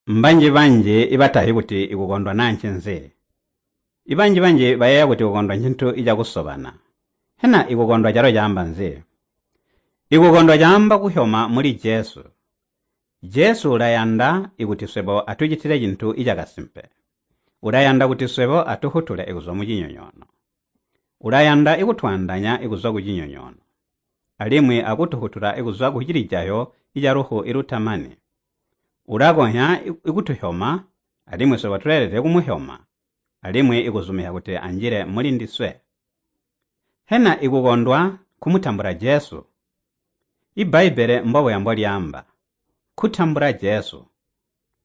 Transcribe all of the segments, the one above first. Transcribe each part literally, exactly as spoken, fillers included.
Mbanji-banji ibatazyi kuti ikukondwa naa ncinzi. Ibanji-banji bayeeya kuti kukondwa ncintu cakusobana. Hena ikukondwa calo caamba nzi? Ikukondwa caamba kuhyoma muli Jesu. Jesu ulayanda ikuti swebo atucitile cintu cakasimpe. Ulayanda kuti swebo atufwutule kuzwa mucinyonyoono. Ulayanda ikutwaandaanya kuzwa kucinyonyoono, alimwi akutufwutula kuzwa kucilijayo calufu lutamani. Ulakonzya kutuhyoma, alimwi swebo tuleelede kumuhyoma, alimwi kuzumizya kuti anjile mulindiswe. Hena ikukondwa nkumutambula Jesu? Ibbaibbele mbobuya mbolyaamba. Kutambula Jesu,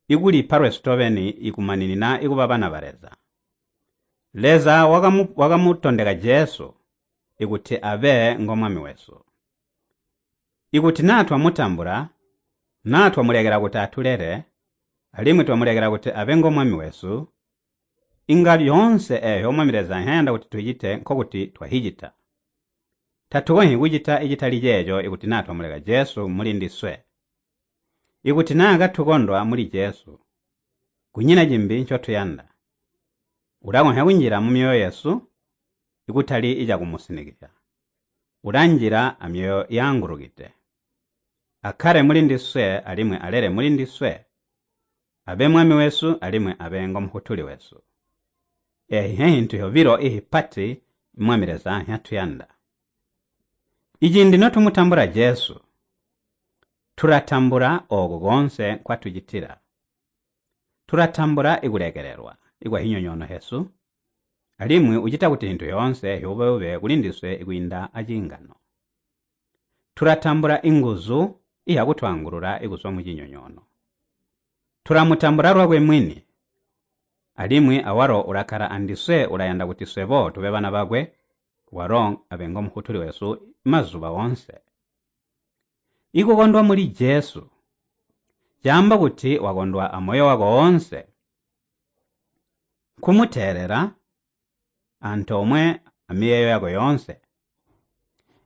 ikulipa lwesu tobeni ikumaninina kuba bana ba Leza. Leza wakamutondeka Jesu ikuti abe ngo Mwami wesu. Ikuti naa twamutambula, naa twamulekela kuti atulele, alimwi twamulekela kuti abe ngo Mwami wesu, inga lyoonse eeyo Mwami Leza nzyayanda kuti tucite nkokuti twahicita. Tatukonzyi kucita icitali ceeco ikuti naa twamuleka Jesu mulindiswe. Ikuti naa katukondwa muli Jesu, kunyina cimbi ncotuyanda. Ulakonzya kunjila mumyoyo yesu, ikutali cakumusinikizya. Ulanjila amyoyo yaangulukide. Akkale mulindiswe alimwi alele mulindiswe. Abe Mwami wesu alimwi abe ngo Mufwutuli wesu. Eeyi nhintu yobilo ihipati Mwami Leza nhyatuyanda. Iciindi notumutambula Jesu, tulatambula ooku koonse nkwatucitila. Tulatambula ikulekelelwa ikwa hinyonyoono hesu, alimwi ucita kuti hintu yoonse hyuube-ube kulindiswe kwiinda aciingano. Tulatambula inguzu iyakutwaangulula kuzwa mucinyonyoono. Tulamutambula lwakwe mwini, alimwi awalo ulakkala andiswe ulayanda kuti swebo tube bana bakwe, walo abe ngo Mufwutuli wesu mazuba woonse. Ikukondwa muli Jesu caamba kuti wakondwa amoyo wako woonse. Kumuteelela antoomwe amiyeeyo yako yoonse.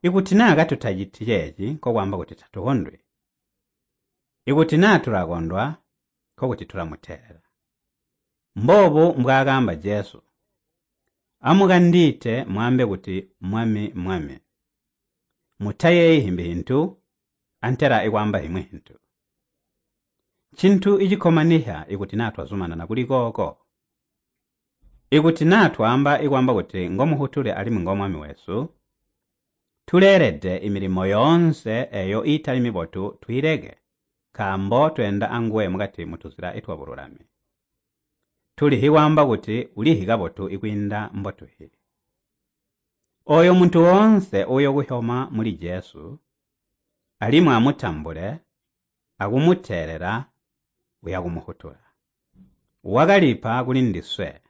Ikuti naa katutaciti ceeci, nkokwaamba kuti tatukondwi. Ikuti naa tulakondwa, nkokuti tulamuteelela. Mboobu mbwaakaamba Jesu. Amukandiite mwaambe kuti Mwami, Mwami. Mutayeeyi himbi hintu, antela ikwaamba himwi hintu. Ncintu icikkomanisya ikuti naa twazumanana kuli kooko. Ikuti naa twaamba ikwaamba kuti ngo Mufwutuli alimwi ngo Mwami wesu, tuleelede imilimo yoonse eeyo iitali mibotu twiileke, nkaambo tweenda anguwe mukati mutuzila twabululami. Tulihyi kwaamba kuti ulihyi kabotu ikwiinda mbotuhyi. Ooyo muntu woonse uuyokuhyoma muli Jesu, alimwi amutambule, akumuteelela, uyakumufwutula. Wakalipa kulindiswe,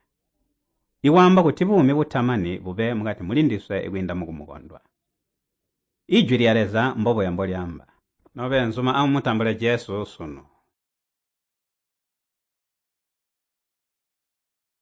ikwaamba kuti buumi butamani bube mukati mulindiswe kwiinda mukumukondwa. Ijwi lya Leza mbobuya mbolyaamba. Nobeenzuma amumutambule Jesu sunu.